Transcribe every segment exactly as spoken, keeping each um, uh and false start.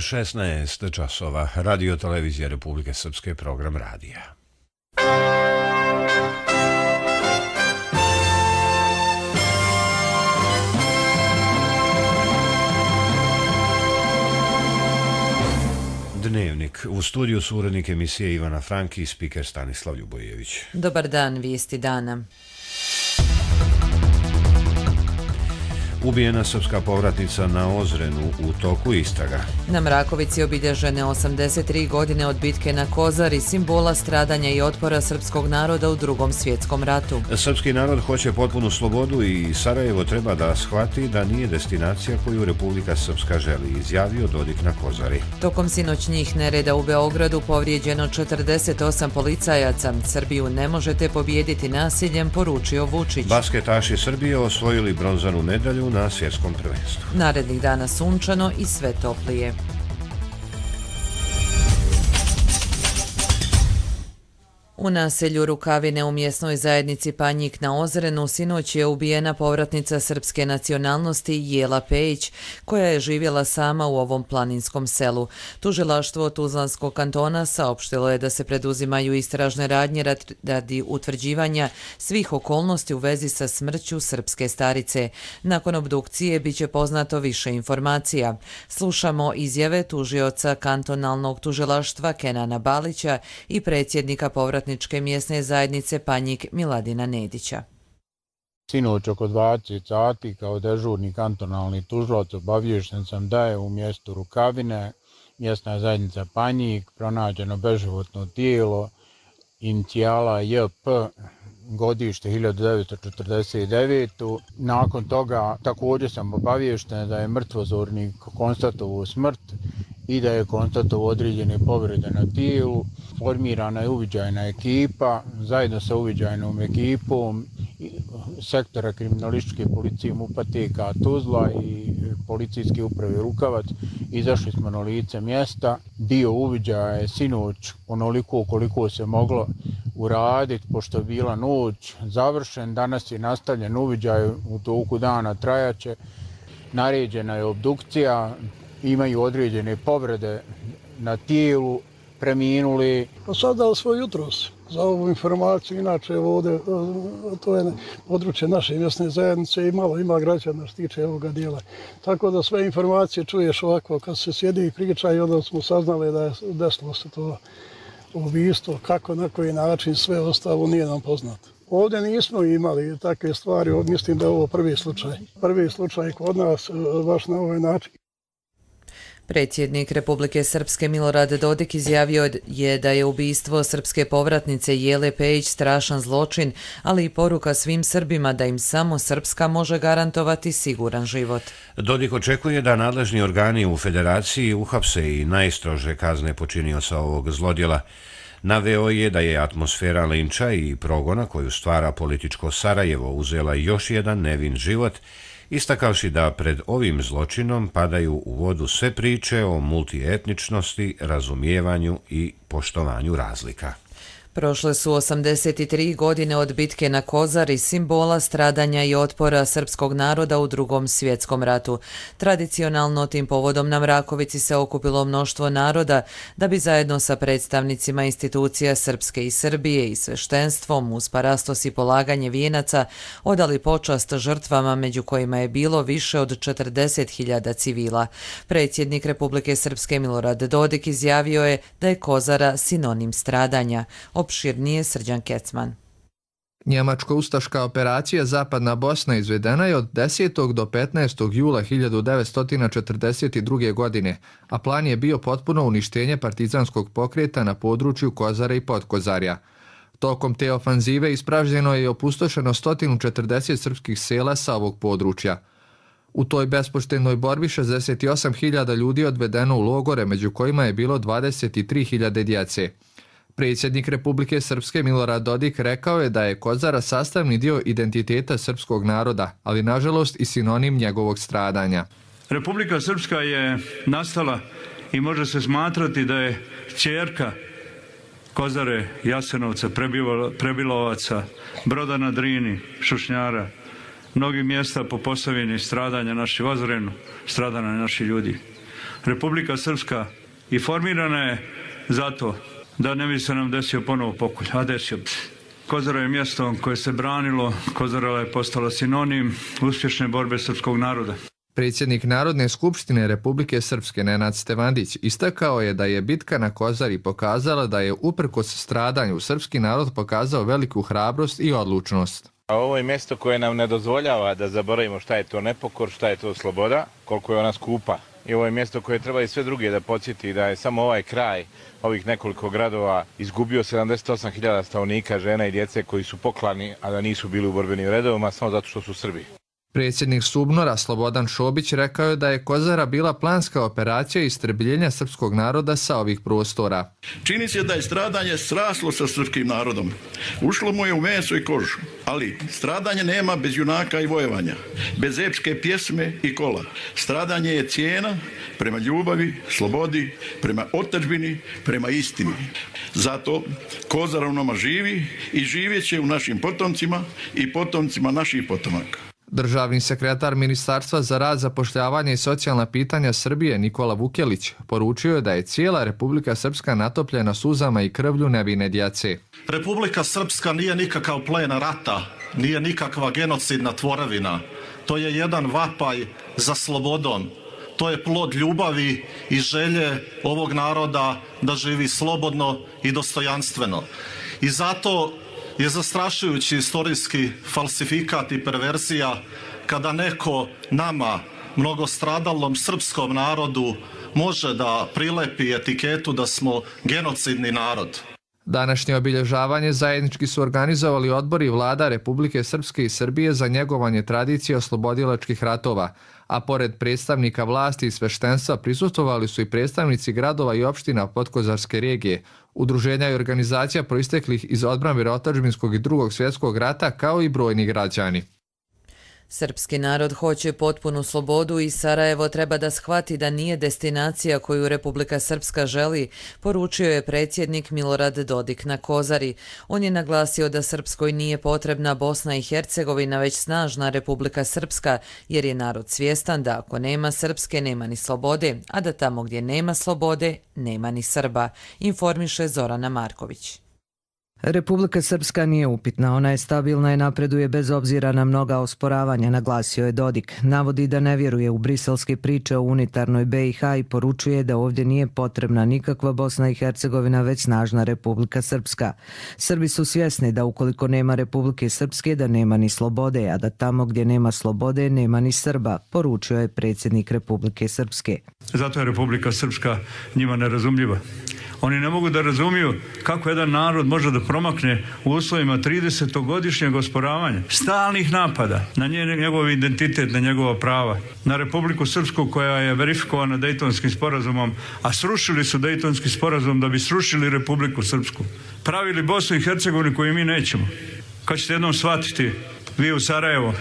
šesnaest časova. Radio televizija Republike Srpske, program radija. Dnevnik. U studiju su urednik emisije Ivana Franki i spiker Stanislav Ljubojević. Dobar dan, vijesti dana. Ubijena srpska povratnica na Ozrenu, u toku istraga. Na Mrakovici obilježene osamdeset tri godine od bitke na Kozari, simbola stradanja i otpora srpskog naroda u Drugom svjetskom ratu. Srpski narod hoće potpunu slobodu i Sarajevo treba da shvati da nije destinacija koju Republika Srpska želi, izjavio Dodik na Kozari. Tokom sinoćnjih nereda u Beogradu povrijeđeno četrdeset osam policajaca. Srbiju ne možete pobijediti nasiljem, poručio Vučić. Basketaši Srbije osvojili bronzanu medalju na svjetskom prvenstvu. Narednih dana sunčano i sve toplije. U naselju Rukavine u mjesnoj zajednici Panjik na Ozrenu sinoć je ubijena povratnica srpske nacionalnosti Jela Pejić, koja je živjela sama u ovom planinskom selu. Tužilaštvo Tuzlanskog kantona saopštilo je da se preduzimaju istražne radnje radi utvrđivanja svih okolnosti u vezi sa smrću srpske starice. Nakon obdukcije biće poznato više informacija. Slušamo izjave tužioca kantonalnog tužilaštva Kenana Balića i predsjednika povratničke mjesne zajednice Panjik Miladina Nedića. Sinoć oko dvadeset sati kao dežurni kantonalni tužilac obaviješten sam da je u mjestu Rukavine, mjesna zajednica Panjik, pronađeno beživotno tijelo inicijala J P, godište hiljadu devetsto četrdeset devete. Nakon toga također sam obaviješten da je mrtvozornik konstatovao smrt i da je konstatovao određene povrede na tijelu. Formirana je uviđajna ekipa, zajedno sa uviđajnom ekipom sektora kriminalističke policije MUP-a T K Tuzla i policijske uprave Rukavac. Izašli smo na lice mjesta. Dio uviđaja je sinoć onoliko koliko se moglo uraditi, pošto je bila noć, završen. Danas je nastavljen uviđaj, u toku dana trajaće. Naređena je obdukcija, imaju određene povrede na tijelu, preminuli. Pa sad dao svoj jutros za ovu informaciju, inače ovdje, to je područje naše mjesne zajednice i malo ima građana što tiče ovoga dijela. Tako da sve informacije čuješ ovako, kad se sjedi i priča i onda smo saznali da je desilo se to ubistvo, kako, na koji način, sve ostalo nije nam poznato. Ovdje nismo imali takve stvari, mislim da je ovo prvi slučaj. Prvi slučaj kod nas, baš na ovaj način. Predsjednik Republike Srpske Milorad Dodik izjavio je da je ubistvo srpske povratnice Jele Pejić strašan zločin, ali i poruka svim Srbima da im samo Srpska može garantovati siguran život. Dodik očekuje da nadležni organi u federaciji uhapse i najstrože kazne počinioca ovog zlodjela. Naveo je da je atmosfera linča i progona koju stvara političko Sarajevo uzela još jedan nevin život, istakavši da pred ovim zločinom padaju u vodu sve priče o multietničnosti, razumijevanju i poštovanju razlika. Prošle su osamdeset tri godine od bitke na Kozari, simbola stradanja i otpora srpskog naroda u Drugom svjetskom ratu. Tradicionalno tim povodom na Mrakovici se okupilo mnoštvo naroda da bi zajedno sa predstavnicima institucija Srpske i Srbije i sveštenstvom uz parastos i polaganje vijenaca odali počast žrtvama, među kojima je bilo više od četrdeset hiljada civila. Predsjednik Republike Srpske Milorad Dodik izjavio je da je Kozara sinonim stradanja. Opširnije Srđan Kecman. Njemačko-ustaška operacija Zapadna Bosna izvedena je od desetog do petnaestog jula hiljadu devetsto četrdeset druge. godine, a plan je bio potpuno uništenje partizanskog pokreta na području Kozare i Podkozarja. Tokom te ofanzive ispražnjeno je i opustošeno sto četrdeset srpskih sela sa ovog područja. U toj bespoštednoj borbi šezdeset osam hiljada ljudi odvedeno u logore, među kojima je bilo dvadeset tri hiljade djece. Predsjednik Republike Srpske Milorad Dodik rekao je da je Kozara sastavni dio identiteta srpskog naroda, ali nažalost i sinonim njegovog stradanja. Republika Srpska je nastala i može se smatrati da je kćerka Kozare, Jasenovca, Prebilovaca, Broda na Drini, Šušnjara, mnogih mjesta po Posavini, stradanja naših Ozrenu, stradanja naših ljudi. Republika Srpska i formirana je zato da ne bi se nam desio ponovo pokolj, a desio bi se. Kozara je mjesto koje se branilo, Kozara je postala sinonim uspješne borbe srpskog naroda. Predsjednik Narodne skupštine Republike Srpske Nenad Stevandić istakao je da je bitka na Kozari pokazala da je uprkos stradanju srpski narod pokazao veliku hrabrost i odlučnost. Ovo je mjesto koje nam ne dozvoljava da zaboravimo šta je to nepokor, šta je to sloboda, koliko je ona skupa. I ovo je mjesto koje treba i sve druge da podsjeti da je samo ovaj kraj ovih nekoliko gradova izgubio sedamdeset osam hiljada stanovnika, žena i djece koji su poklani, a da nisu bili u borbenim redovima samo zato što su Srbi. Predsjednik SUBNOR-a Slobodan Šobić rekao je da je Kozara bila planska operacija istrebljenja srpskog naroda sa ovih prostora. Čini se da je stradanje sraslo sa srpskim narodom. Ušlo mu je u meso i kožu. Ali stradanje nema bez junaka i vojevanja, bez epske pjesme i kola. Stradanje je cijena prema ljubavi, slobodi, prema otadžbini, prema istini. Zato Kozara u nama živi i živjet će u našim potomcima i potomcima naših potomaka. Državni sekretar Ministarstva za rad, zapošljavanje i socijalna pitanja Srbije Nikola Vukelić poručio je da je cijela Republika Srpska natopljena suzama i krvlju nevine djece. Republika Srpska nije nikakav plen rata, nije nikakva genocidna tvorevina. To je jedan vapaj za slobodom. To je plod ljubavi i želje ovog naroda da živi slobodno i dostojanstveno. I zato je zastrašujući istorijski falsifikat i perverzija kada neko nama, mnogostradalnom srpskom narodu, može da prilepi etiketu da smo genocidni narod. Današnje obilježavanje zajednički su organizovali odbori vlada Republike Srpske i Srbije za njegovanje tradicije oslobodilačkih ratova, a pored predstavnika vlasti i sveštenstva prisustvovali su i predstavnici gradova i opština Podkozarske regije, udruženja i organizacija proisteklih iz odbrane otadžbinskog i drugog svjetskog rata, kao i brojni građani. Srpski narod hoće potpunu slobodu i Sarajevo treba da shvati da nije destinacija koju Republika Srpska želi, poručio je predsjednik Milorad Dodik na Kozari. On je naglasio da Srpskoj nije potrebna Bosna i Hercegovina, već snažna Republika Srpska, jer je narod svjestan da ako nema Srpske, nema ni slobode, a da tamo gdje nema slobode, nema ni Srba, informiše Zorana Marković. Republika Srpska nije upitna, ona je stabilna i napreduje bez obzira na mnoga osporavanja, naglasio je Dodik. Navodi da ne vjeruje u briselske priče o unitarnoj be i ha i poručuje da ovdje nije potrebna nikakva Bosna i Hercegovina, već snažna Republika Srpska. Srbi su svjesni da ukoliko nema Republike Srpske, da nema ni slobode, a da tamo gdje nema slobode, nema ni Srba, poručio je predsjednik Republike Srpske. Zato je Republika Srpska njima nerazumljiva. Oni ne mogu da razumiju kako jedan narod može da promakne u uslovima tridesetogodišnjeg osporavanja, stalnih napada na njegov identitet, na njegova prava, na Republiku Srpsku koja je verifikovana Dejtonskim sporazumom, a srušili su Dejtonski sporazum da bi srušili Republiku Srpsku. Pravili Bosnu i Hercegovinu koju mi nećemo. Kad ćete jednom shvatiti, vi u Sarajevo,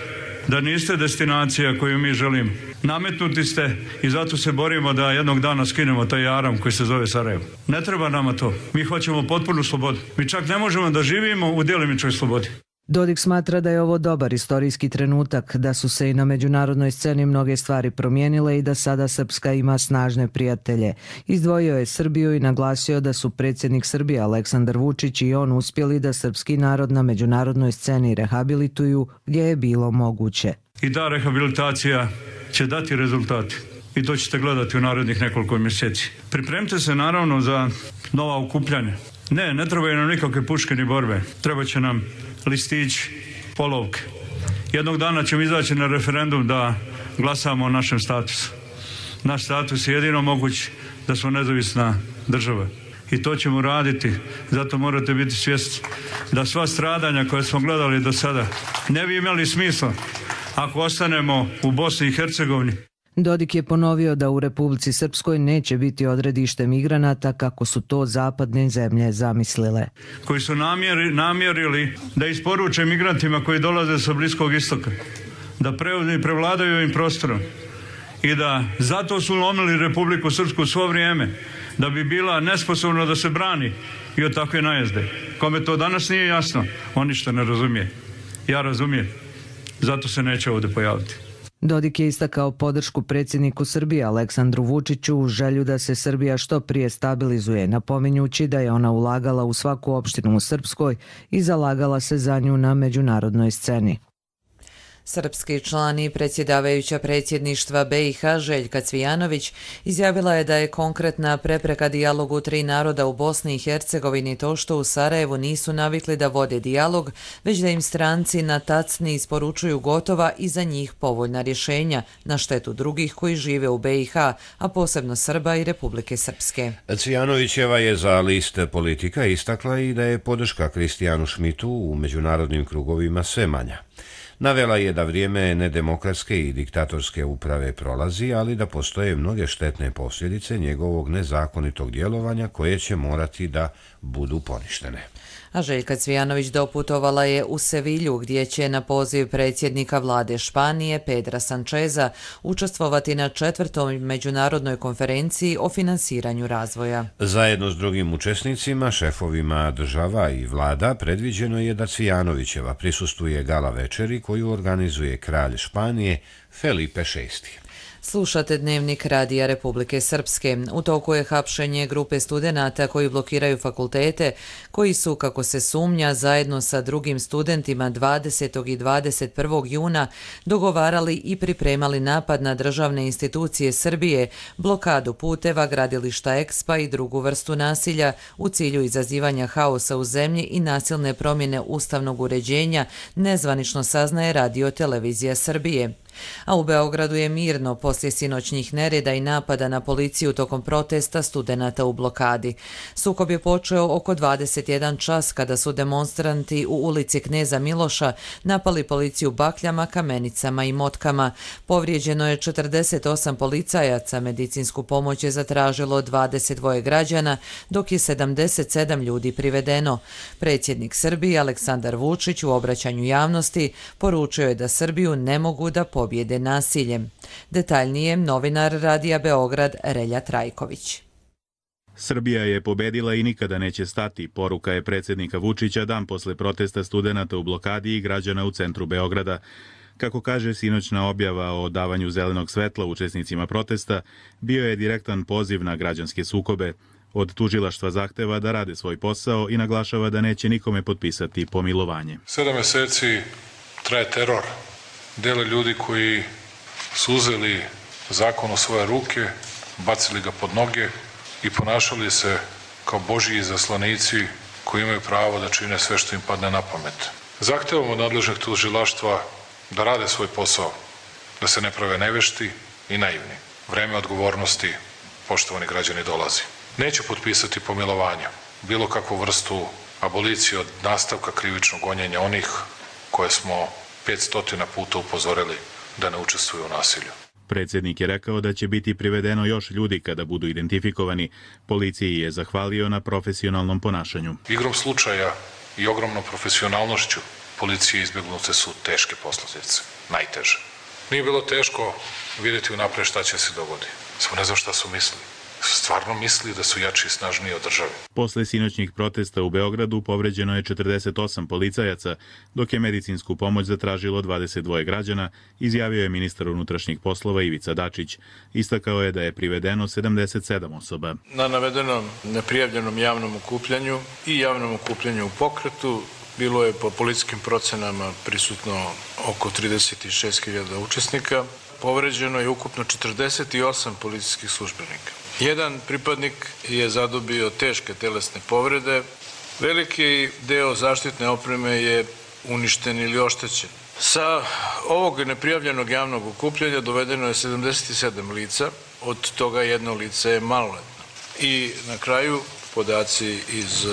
da niste destinacija koju mi želimo. Nametnuti ste i zato se borimo da jednog dana skinemo taj jaram koji se zove Sarajevo. Ne treba nama to. Mi hoćemo potpunu slobodu. Mi čak ne možemo da živimo u djelimičnoj slobodi. Dodik smatra da je ovo dobar istorijski trenutak, da su se i na međunarodnoj sceni mnoge stvari promijenile i da sada Srpska ima snažne prijatelje. Izdvojio je Srbiju i naglasio da su predsjednik Srbije Aleksandar Vučić i on uspjeli da srpski narod na međunarodnoj sceni rehabilituju gdje je bilo moguće. I ta rehabilitacija će dati rezultate. I to ćete gledati u narednih nekoliko mjeseci. Pripremite se naravno za nova okupljanja. Ne, ne trebaju nam nikakve puške ni borbe. Treba će nam listići, polovke. Jednog dana ćemo izaći na referendum da glasamo o našem statusu. Naš status je jedino moguć da smo nezavisna država. I to ćemo raditi. Zato morate biti svjesni da sva stradanja koje smo gledali do sada ne bi imali smisla ako ostanemo u Bosni i Hercegovini. Dodik je ponovio da u Republici Srpskoj neće biti odredište migranata kako su to zapadne zemlje zamislile. Koji su namjeri, namjerili da isporuče migrantima koji dolaze sa Bliskog istoka, da pre, prevladaju ovim prostorom i da zato su lomili Republiku Srpsku svo vrijeme, da bi bila nesposobna da se brani i od takve najezde. Kome to danas nije jasno, on ništa ne razumije. Ja razumijem, zato se neće ovdje pojaviti. Dodik je istakao podršku predsjedniku Srbije Aleksandru Vučiću u želju da se Srbija što prije stabilizuje, napominjući da je ona ulagala u svaku opštinu u Srpskoj i zalagala se za nju na međunarodnoj sceni. Srpski član i predsjedavajuća predsjedništva B i H Željka Cvijanović izjavila je da je konkretna prepreka dijalogu tri naroda u Bosni i Hercegovini to što u Sarajevu nisu navikli da vode dijalog, već da im stranci na tacni isporučuju gotova i za njih povoljna rješenja na štetu drugih koji žive u B i H, a posebno Srba i Republike Srpske. Cvijanovićeva je za list Politika istakla i da je podrška Kristijanu Šmitu u međunarodnim krugovima sve manja. Navela je da vrijeme nedemokratske i diktatorske uprave prolazi, ali da postoje mnoge štetne posljedice njegovog nezakonitog djelovanja koje će morati da budu poništene. A Željka Cvijanović doputovala je u Sevilju gdje će na poziv predsjednika vlade Španije Pedra Sancheza učestvovati na četvrtoj međunarodnoj konferenciji o finansiranju razvoja. Zajedno s drugim učesnicima, šefovima država i vlada, predviđeno je da Cvijanovićeva prisustuje gala večeri koju organizuje kralj Španije Felipe šesti. Slušate Dnevnik Radija Republike Srpske. U toku je hapšenje grupe studenata koji blokiraju fakultete, koji su, kako se sumnja, zajedno sa drugim studentima dvadesetog i dvadeset prvog juna dogovarali i pripremali napad na državne institucije Srbije, blokadu puteva, gradilišta Ekspa i drugu vrstu nasilja u cilju izazivanja haosa u zemlji i nasilne promjene ustavnog uređenja, nezvanično saznaje Radio Televizija Srbije. A u Beogradu je mirno poslije sinoćnjih nereda i napada na policiju tokom protesta studenata u blokadi. Sukob je počeo oko dvadeset jedan čas kada su demonstranti u ulici Kneza Miloša napali policiju bakljama, kamenicama i motkama. Povrijeđeno je četrdeset osam policajaca, medicinsku pomoć je zatražilo dvadeset dva građana, dok je sedamdeset sedam ljudi privedeno. Predsjednik Srbije Aleksandar Vučić u obraćanju javnosti poručio je da Srbiju ne mogu da pobjede pobjede nasiljem. Detaljnije novinar Radija Beograd Relja Trajković. Srbija je pobedila i nikada neće stati, poruka je predsjednika Vučića dan posle protesta studenata u blokadi i građana u centru Beograda. Kako kaže sinoćna objava o davanju zelenog svetla učesnicima protesta, bio je direktan poziv na građanske sukobe. Od tužilaštva zahteva da rade svoj posao i naglašava da neće nikome potpisati pomilovanje. Sedam meseci traje teror. Dele ljudi koji su uzeli zakon u svoje ruke, bacili ga pod noge i ponašali se kao božji izaslanici koji imaju pravo da čine sve što im padne na pamet. Zahtevamo od nadležnih tužilaštva da rade svoj posao, da se ne prave nevešti i naivni. Vreme odgovornosti, poštovani građani, dolazi. Neću potpisati pomilovanja, bilo kakvu vrstu abolicije od nastavka krivičnog gonjenja onih koje smo petstotina puta upozorili da ne učestvuju u nasilju. Predsjednik je rekao da će biti privedeno još ljudi kada budu identifikovani. Policiji je zahvalio na profesionalnom ponašanju. Igrom slučaja i ogromnom profesionalnošću policije izbjegnute su teške posljedice, najteže. Nije bilo teško vidjeti unapred šta će se dogoditi. Samo ne znam šta su mislili. Stvarno misli da su jači i snažniji od države. Posle sinoćnih protesta u Beogradu povređeno je četrdeset osam policajaca, dok je medicinsku pomoć zatražilo dvadeset dva građana, izjavio je ministar unutrašnjih poslova Ivica Dačić. Istakao je da je privedeno sedamdeset sedam osoba. Na navedenom neprijavljenom javnom okupljanju i javnom okupljanju u pokretu bilo je po policijskim procenama prisutno oko trideset šest hiljada učesnika. Povređeno je ukupno četrdeset osam policijskih službenika. Jedan pripadnik je zadobio teške telesne povrede. Veliki deo zaštitne opreme je uništen ili oštećen. Sa ovog neprijavljenog javnog okupljanja dovedeno je sedamdeset sedam lica, od toga jedno lice je maloletno. I na kraju podaci iz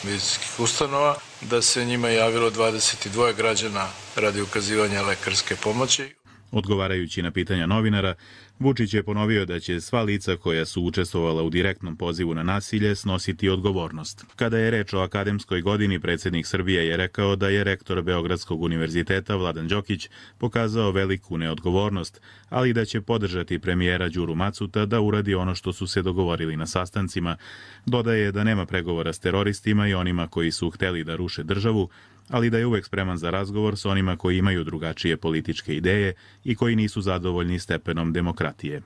medicinskih ustanova da se njima javilo dvadeset dva građana radi ukazivanja lekarske pomoći. Odgovarajući na pitanja novinara, Vučić je ponovio da će sva lica koja su učestvovala u direktnom pozivu na nasilje snositi odgovornost. Kada je reč o akademskoj godini, predsjednik Srbije je rekao da je rektor Beogradskog univerziteta Vladan Đokić pokazao veliku neodgovornost, ali da će podržati premijera Đuru Macuta da uradi ono što su se dogovorili na sastancima. Dodaje da nema pregovora s teroristima i onima koji su hteli da ruše državu, ali da je uvek spreman za razgovor s onima koji imaju drugačije političke ideje i koji nisu zadovoljni stepenom demokratije.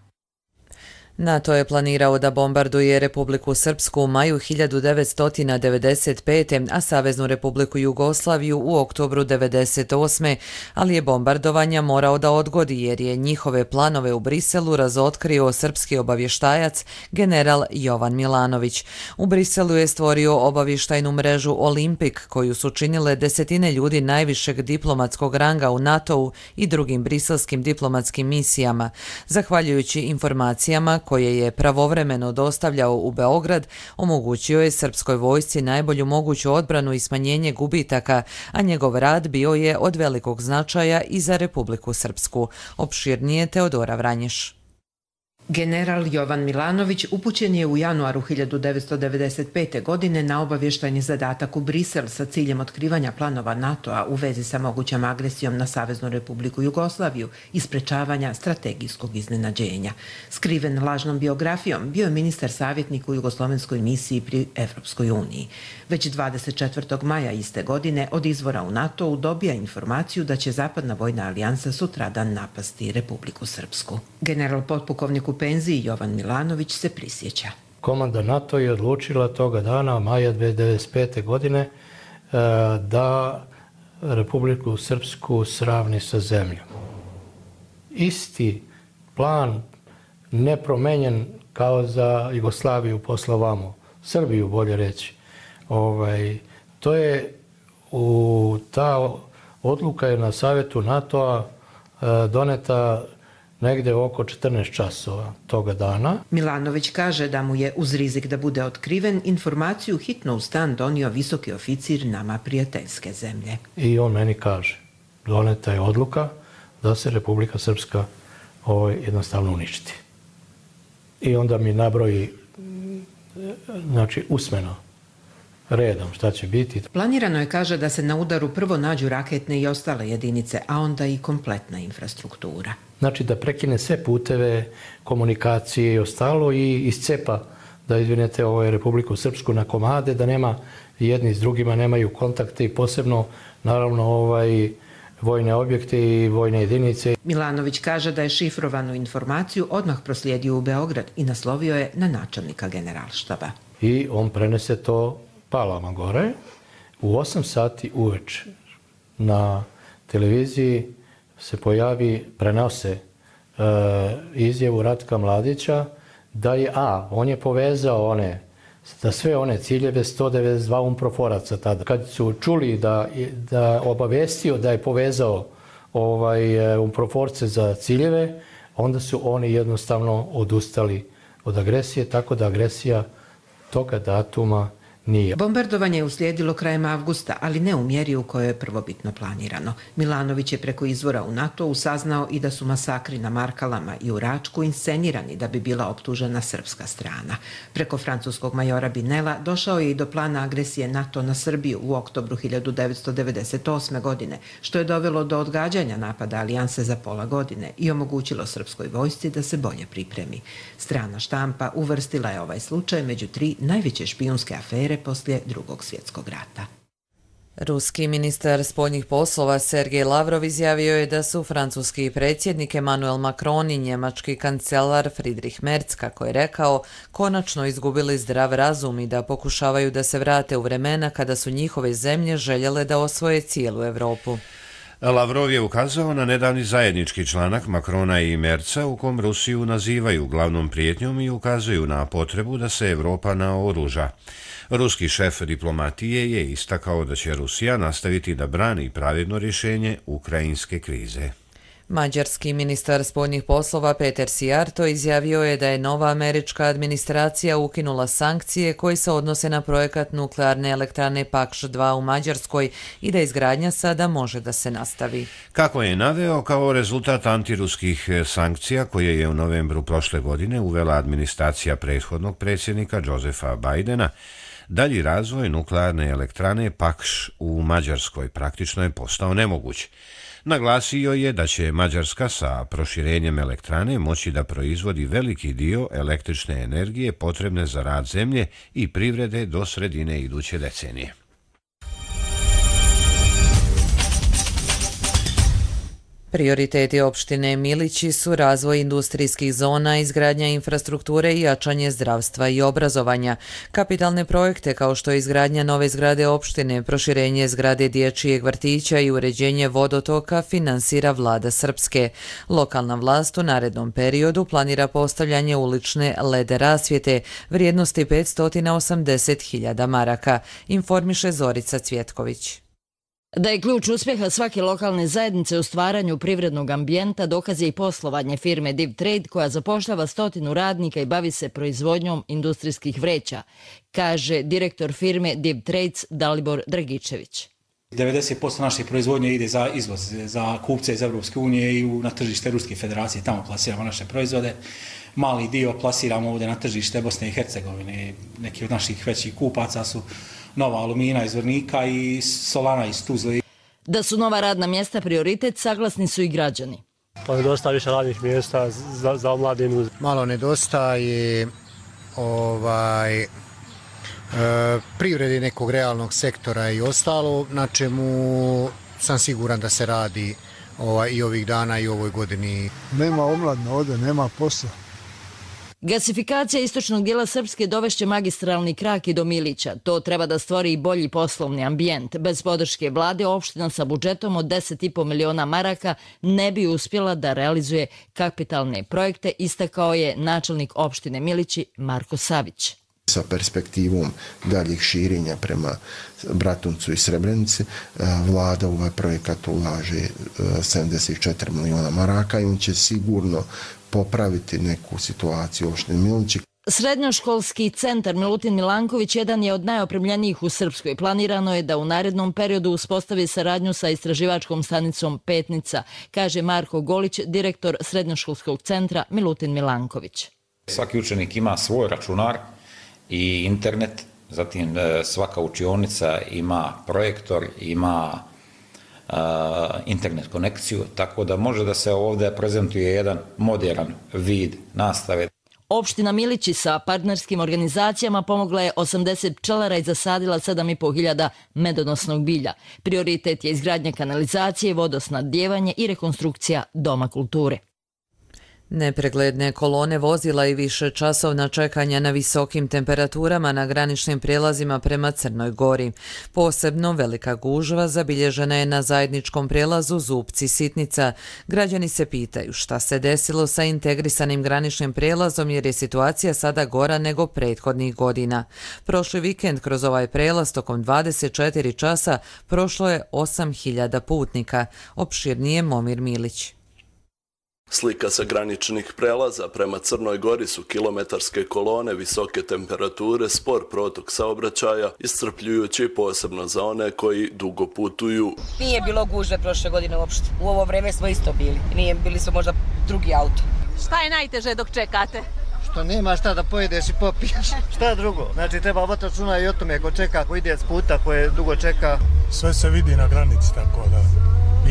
NATO je planirao da bombarduje Republiku Srpsku u maju hiljadu devetsto devedeset pete. a Saveznu Republiku Jugoslaviju u oktobru devedeset osme. ali je bombardovanja morao da odgodi jer je njihove planove u Briselu razotkrio srpski obavještajac general Jovan Milanović. U Briselu je stvorio obavještajnu mrežu Olimpik koju su činile desetine ljudi najvišeg diplomatskog ranga u NATO-u i drugim briselskim diplomatskim misijama. Zahvaljujući informacijama koje je pravovremeno dostavljao u Beograd, omogućio je srpskoj vojsci najbolju moguću odbranu i smanjenje gubitaka, a njegov rad bio je od velikog značaja i za Republiku Srpsku. Opširnije Teodora Vranješ. General Jovan Milanović upućen je u januaru hiljadu devetsto devedeset pete. godine na obavještajni zadatak u Brisel sa ciljem otkrivanja planova NATO-a u vezi sa mogućom agresijom na Saveznu Republiku Jugoslaviju i sprečavanja strategijskog iznenađenja. Skriven lažnom biografijom, bio je ministar savjetnik u jugoslovenskoj misiji pri Evropskoj uniji. Već dvadeset četvrtog maja iste godine od izvora u NATO-u dobija informaciju da će Zapadna vojna alijansa sutradan napasti Republiku Srpsku. General potpukovnik u penziji Jovan Milanović se prisjeća. Komanda NATO je odlučila toga dana, maja devedeset pete. godine, da Republiku Srpsku sravni sa zemljom. Isti plan, nepromenjen kao za Jugoslaviju posle ovamo, Srbiju bolje reći. Ovaj, to je u ta odluka je na savjetu NATO-a doneta negde oko četrnaest časova toga dana. Milanović kaže da mu je uz rizik da bude otkriven informaciju hitno u stan donio visoki oficir nama prijateljske zemlje. I on meni kaže, doneta je odluka da se Republika Srpska ovaj, jednostavno uništi. I onda mi nabroji, znači usmeno, redom šta će biti. Planirano je, kaže, da se na udaru prvo nađu raketne i ostale jedinice, a onda i kompletna infrastruktura. Znači da prekine sve puteve, komunikacije i ostalo i iscepa, da izvinete ovaj, Republiku Srpsku na komade, da nema jedni s drugima, nemaju kontakte i posebno naravno ovaj, vojne objekte i vojne jedinice. Milanović kaže da je šifrovanu informaciju odmah proslijedio u Beograd i naslovio je na načelnika generalštaba. I on prenese to Palama gore. U osam sati uveče na televiziji se pojavi, prenose e, izjavu Ratka Mladića da je, a, on je povezao one, da sve one ciljeve sto devedeset dva umproforaca tada. Kad su čuli da, da obavestio da je povezao ovaj, umproforce za ciljeve, onda su oni jednostavno odustali od agresije, tako da agresija toga datuma nije. Bombardovanje je uslijedilo krajem avgusta, ali ne u mjeri u kojoj je prvobitno planirano. Milanović je preko izvora u NATO-u saznao i da su masakri na Markalama i u Račku inscenirani da bi bila optužena srpska strana. Preko francuskog majora Binela došao je i do plana agresije NATO na Srbiju u oktobru hiljadu devetsto devedeset osme. godine, što je dovelo do odgađanja napada alijanse za pola godine i omogućilo srpskoj vojsci da se bolje pripremi. Strana štampa uvrstila je ovaj slučaj među tri najveće špijunske afere poslije Drugog svjetskog rata. Ruski ministar spoljnih poslova Sergej Lavrov izjavio je da su francuski predsjednik Emmanuel Macron i njemački kancelar Friedrich Merz, kako je rekao, konačno izgubili zdrav razum i da pokušavaju da se vrate u vremena kada su njihove zemlje željele da osvoje cijelu Evropu. Lavrov je ukazao na nedavni zajednički članak Macrona i Merca u kom Rusiju nazivaju glavnom prijetnjom i ukazuju na potrebu da se Evropa naoruža. Ruski šef diplomatije je istakao da će Rusija nastaviti da brani pravedno rješenje ukrajinske krize. Mađarski ministar spoljnih poslova Peter Sijarto izjavio je da je nova američka administracija ukinula sankcije koje se odnose na projekat nuklearne elektrane Pakš dva u Mađarskoj i da izgradnja sada može da se nastavi. Kako je naveo, kao rezultat antiruskih sankcija koje je u novembru prošle godine uvela administracija prethodnog predsjednika Josefa Bajdena, dalji razvoj nuklearne elektrane Pakš u Mađarskoj praktično je postao nemoguć. Naglasio je da će Mađarska sa proširenjem elektrane moći da proizvodi veliki dio električne energije potrebne za rad zemlje i privrede do sredine iduće decenije. Prioriteti opštine Milići su razvoj industrijskih zona, izgradnja infrastrukture i jačanje zdravstva i obrazovanja. Kapitalne projekte kao što je izgradnja nove zgrade opštine, proširenje zgrade dječjeg vrtića i uređenje vodotoka finansira vlada Srpske. Lokalna vlast u narednom periodu planira postavljanje ulične lede rasvjete vrijednosti petsto osamdeset hiljada maraka, informiše Zorica Cvjetković. Da je ključ uspjeha svake lokalne zajednice u stvaranju privrednog ambijenta dokaz je i poslovanje firme Div Trade koja zapošljava stotinu radnika i bavi se proizvodnjom industrijskih vreća, kaže direktor firme Div Trades Dalibor Dragičević. devedeset posto naše proizvodnje ide za izvoz, za kupce iz Evropske unije i na tržište Ruske federacije, tamo plasiramo naše proizvode. Mali dio plasiramo ovdje na tržište Bosne i Hercegovine. Neki od naših većih kupaca su Nova Alumina iz Vrnika i Solana iz Tuzle. Da su nova radna mjesta prioritet, saglasni su i građani. Pa nedostaje više radnih mjesta za, za omladinu. Malo nedostaje ovaj, e, privredi nekog realnog sektora i ostalo, na čemu sam siguran da se radi ovaj, i ovih dana i ovoj godini. Nema omladne ovdje, nema posla. Gasifikacija istočnog dijela Srpske dovešće magistralni krak i do Milića. To treba da stvori i bolji poslovni ambijent. Bez podrške vlade, opština sa budžetom od deset i po miliona maraka ne bi uspjela da realizuje kapitalne projekte, istakao je načelnik opštine Milići Marko Savić. Sa perspektivom daljih širenja prema Bratuncu i Srebrenici, vlada u ovaj projekat ulaže sedamdeset četiri miliona maraka i on će sigurno popraviti neku situaciju u opštini Milići. Srednjoškolski centar Milutin Milanković jedan je od najopremljenijih u Srpskoj. Planirano je da u narednom periodu uspostavi saradnju sa istraživačkom stanicom Petnica, kaže Marko Golić, direktor Srednjoškolskog centra Milutin Milanković. Svaki učenik ima svoj računar i internet, zatim svaka učionica ima projektor, ima uh, internet konekciju, tako da može da se ovdje prezentuje jedan modern vid nastave. Opština Milići sa partnerskim organizacijama pomogla je osamdeset pčelara i zasadila sedam i po hiljada medonosnog bilja. Prioritet je izgradnja kanalizacije, vodosnabdijevanje i rekonstrukcija Doma kulture. Nepregledne kolone vozila i više časovna čekanja na visokim temperaturama na graničnim prijelazima prema Crnoj Gori. Posebno velika gužva zabilježena je na zajedničkom prijelazu Zupci-Sitnica. Građani se pitaju šta se desilo sa integrisanim graničnim prijelazom jer je situacija sada gora nego prethodnih godina. Prošli vikend kroz ovaj prijelaz tokom dvadeset četiri časa prošlo je osam hiljada putnika. Opširnije Momir Milić. Slika sa graničnih prelaza prema Crnoj Gori su kilometarske kolone, visoke temperature, spor protok saobraćaja, iscrpljujući posebno za one koji dugo putuju. Nije bilo gužve prošle godine uopšte. U ovo vreme smo isto bili. Nije bili smo možda drugi auto. Šta je najteže dok čekate? Što nema šta da pojedeš i popiješ. Šta drugo? Znači treba voditi računa i o tome ko čeka, ko ide s puta, ko je dugo čeka. Sve se vidi na granici, tako da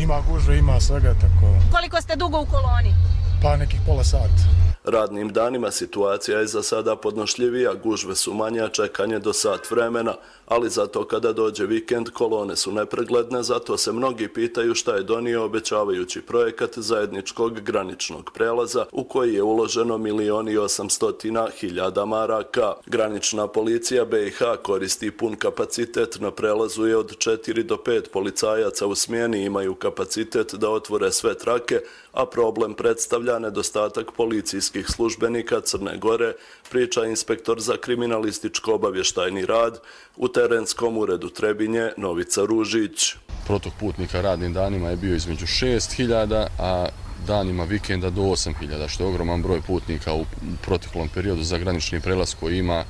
ima gužve, ima svega, tako. Koliko ste dugo u koloni? Pa nekih pola sata. Radnim danima situacija je za sada podnošljivija, gužve su manje, a čekanje do sat vremena, ali zato kada dođe vikend kolone su nepregledne, zato se mnogi pitaju šta je donio obećavajući projekat zajedničkog graničnog prelaza u koji je uloženo milion i osamstotina hiljada maraka. Granična policija B i H koristi pun kapacitet, na prelazu je od četiri do pet policajaca u smjeni, imaju kapacitet da otvore sve trake, a problem predstavlja nedostatak policijskih službenika Crne Gore, priča inspektor za kriminalističko obavještajni rad u terenskom uredu Trebinje Novica Ružić. Protok putnika radnim danima je bio između šest hiljada, a danima vikenda do osam hiljada, što je ogroman broj putnika u proteklom periodu za granični prelaz koji ima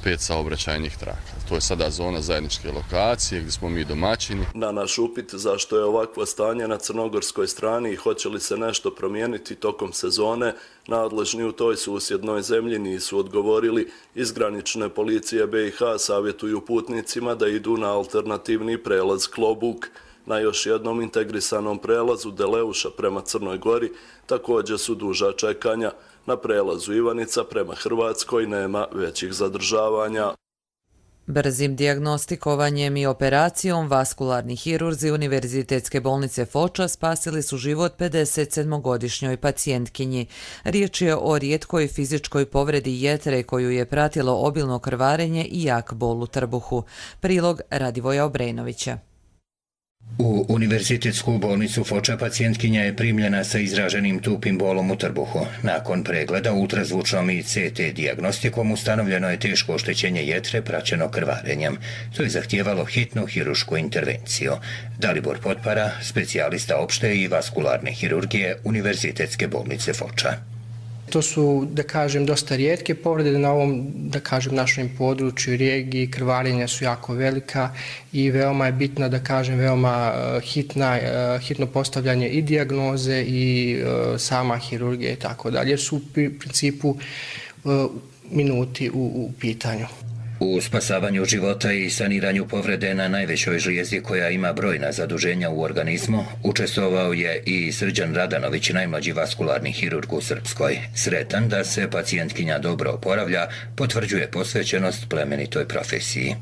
pet saobraćajnih traka. To je sada zona zajedničke lokacije gdje smo mi domaćini. Na naš upit zašto je ovakvo stanje na crnogorskoj strani i hoće li se nešto promijeniti tokom sezone, nadležni u toj susjednoj zemlji nisu odgovorili. Iz granične policije B i H savjetuju putnicima da idu na alternativni prelaz Klobuk. Na još jednom integrisanom prelazu Deleuša prema Crnoj Gori također su duža čekanja. Na prelazu Ivanica prema Hrvatskoj nema većih zadržavanja. Brzim dijagnostikovanjem i operacijom vaskularni hirurzi Univerzitetske bolnice Foča spasili su život pedeset sedmogodišnjoj pacijentkinji. Riječ je o rijetkoj fizičkoj povredi jetre koju je pratilo obilno krvarenje i jak bol u trbuhu. Prilog Radivoja Obrenovića. U Univerzitetsku bolnicu Foča pacijentkinja je primljena sa izraženim tupim bolom u trbuhu. Nakon pregleda ultrazvučnom i C T dijagnostikom ustanovljeno je teško oštećenje jetre praćeno krvarenjem. To je zahtijevalo hitnu hirušku intervenciju. Dalibor Potpara, specijalista opšte i vaskularne hirurgije Univerzitetske bolnice Foča. To su, da kažem, dosta rijetke povrede na ovom, da kažem, našem području i regiji. Krvarenja su jako velika i veoma je bitna, da kažem, veoma hitna, hitno postavljanje i dijagnoze i sama hirurgija i tako dalje, jer su u principu minuti u, u pitanju. U spasavanju života i saniranju povrede na najvećoj žlijezdi koja ima brojna zaduženja u organizmu učestvovao je i Srđan Radanović, najmlađi vaskularni hirurg u Srpskoj. Sretan da se pacijentkinja dobro oporavlja, potvrđuje posvećenost plemenitoj profesiji.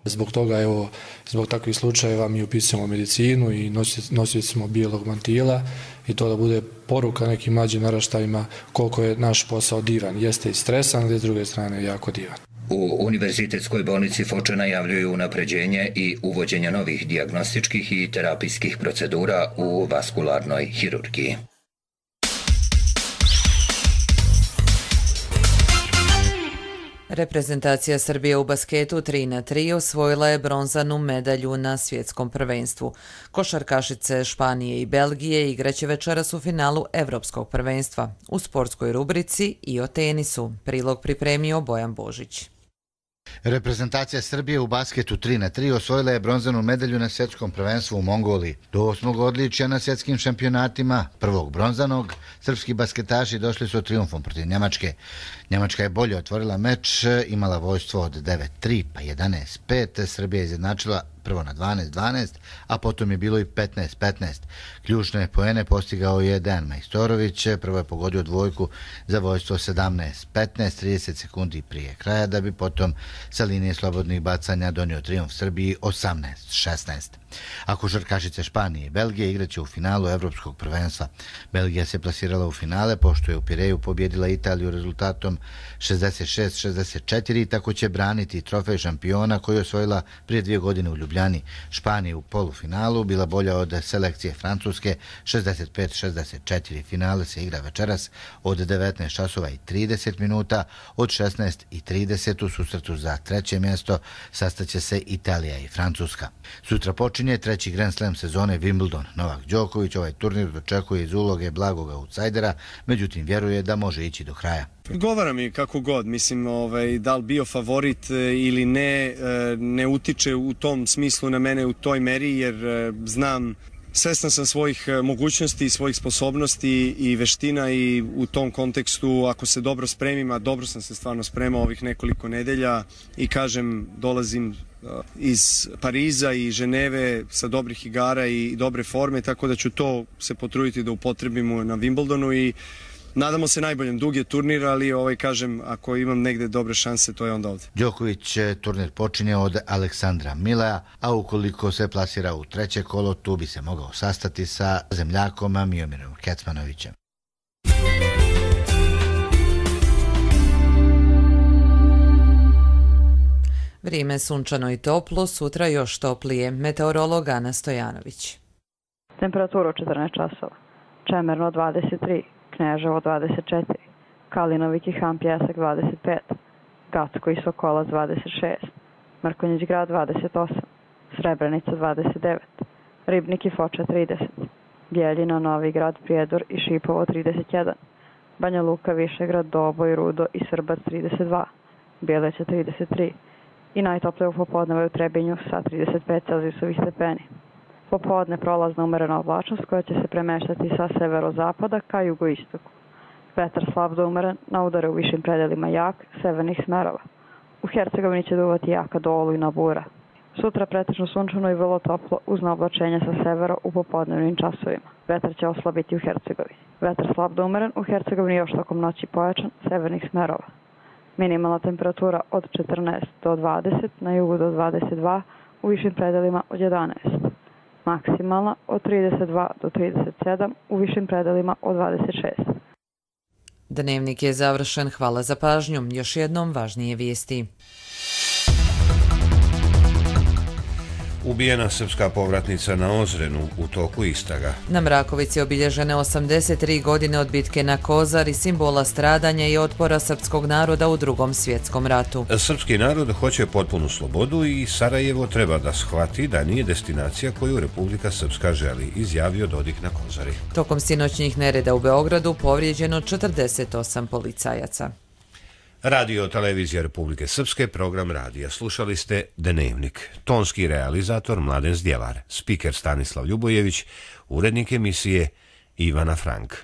Zbog toga, evo, zbog takvih slučajeva mi upisujemo medicinu i nosili smo bijelog mantila i to da bude poruka nekim mlađim naraštajima koliko je naš posao divan. Jeste i stresan, ali s druge strane jako divan. U Univerzitetskoj bolnici Foča najavljuju unapređenje i uvođenje novih dijagnostičkih i terapijskih procedura u vaskularnoj hirurgiji. Reprezentacija Srbije u basketu tri na tri osvojila je bronzanu medalju na svjetskom prvenstvu. Košarkašice Španije i Belgije igraće večeras u finalu Evropskog prvenstva. U sportskoj rubrici i o tenisu. Prilog pripremio Bojan Božić. Reprezentacija Srbije u basketu tri na tri osvojila je bronzanu medalju na svjetskom prvenstvu u Mongoliji. Do osmog odličja na svjetskim šampionatima, prvog bronzanog, srpski basketaši došli su trijumfom protiv Njemačke. Njemačka je bolje otvorila meč, imala vojstvo od devet tri pa jedanaest pet, Srbija je izjednačila prvo na dvanaest dvanaest, a potom je bilo i petnaest petnaest. Ključne poene postigao je Dejan Majstorović, prvo je pogodio dvojku za vojstvo sedamnaest petnaest, trideset sekundi prije kraja, da bi potom sa linije slobodnih bacanja donio trijumf Srbiji osamnaest šesnaest. A košarkašice Španije i Belgije igraće u finalu Evropskog prvenstva. Belgija se plasirala u finale pošto je u Pireju pobjedila Italiju rezultatom šezdeset šest šezdeset četiri i tako će braniti trofej šampiona koji je osvojila prije dvije godine u Ljubljani. Španija u polufinalu bila bolja od selekcije Francuske šezdeset pet šezdeset četiri. Finale se igra večeras od devetnaest časova i trideset minuta, od šesnaest i trideset u susretu za treće mjesto sastaće se Italija i Francuska. Sutra počinje treći Grand Slam sezone Wimbledon. Novak Đoković ovaj turnir dočekuje iz uloge blagog autsajdera, međutim vjeruje da može ići do kraja. Odgovara mi kako god, mislim, ovaj, da li bio favorit ili ne, ne utiče u tom smislu na mene u toj meri, jer znam, svestan sam svojih mogućnosti, svojih sposobnosti i veština i u tom kontekstu, ako se dobro spremim, a dobro sam se stvarno spremao ovih nekoliko nedelja i kažem, dolazim iz Pariza i Ženeve sa dobrih igara i dobre forme, tako da ću to se potruditi da upotrebimo na Wimbledonu i nadamo se najboljem. Dug je turnir, ali ovaj, kažem, ako imam negde dobre šanse, to je onda ovdje. Đoković turnir počinje od Aleksandra Mileja, a ukoliko se plasira u treće kolo, tu bi se mogao sastati sa zemljakom Miomirom Kecmanovićem. Vrijeme sunčano i toplo, sutra još toplije. Meteorolog Ana Stojanović. Temperatura četrnaest časova. Čemerno dvadeset tri, Kneževo dvadeset četiri, Kalinovik i Han Pjesak dvadeset pet, Gacko i Sokolac dvadeset šest, Mrkonjić grad dvadeset osam, Srebrenica dvadeset devet, Ribnik i Foča trideset, Bjeljina, Novi grad, Prijedor i Šipovo trideset jedan, Banja Luka, Višegrad, Doboj, Rudo i Srbac trideset dva, Bjeleća trideset tri i najtoplije u popodneve u Trebinju sa trideset pet celzijusovih stepeni. Popodne prolazna umerena oblačnost koja će se premeštati sa severozapada ka jugoistoku. Vetar slab do umeren, na udare u višim predelima jak, severnih smerova. U Hercegovini će duvati jaka do olujna bura. Sutra pretežno sunčano i vrlo toplo uz naoblačenja sa severa u popodnevnim časovima. Vetar će oslabiti u Hercegovini. Vetar slab do umeren, u Hercegovini još tokom noći pojačan, severnih smerova. Minimalna temperatura od četrnaest do dvadeset, na jugu do dvadeset dva, u višim predelima od jedanaest. Maksimalna od trideset dva do trideset sedam, u višim predelima od dvadeset šest. Dnevnik je završen. Hvala za pažnju. Još jednom važnije vijesti. Ubijena srpska povratnica na Ozrenu u toku istraga. Na Mrakovici obilježene osamdeset tri godine od bitke na Kozari, simbola stradanja i otpora srpskog naroda u Drugom svjetskom ratu. Srpski narod hoće potpunu slobodu i Sarajevo treba da shvati da nije destinacija koju Republika Srpska želi, izjavio Dodik na Kozari. Tokom sinoćnjih nereda u Beogradu povrijeđeno četrdeset osam policajaca. Radio televizija Republike Srpske, program radija. Slušali ste Dnevnik. Tonski realizator Mladen Zdjelar, spiker Stanislav Ljubojević, urednik emisije Ivana Frank.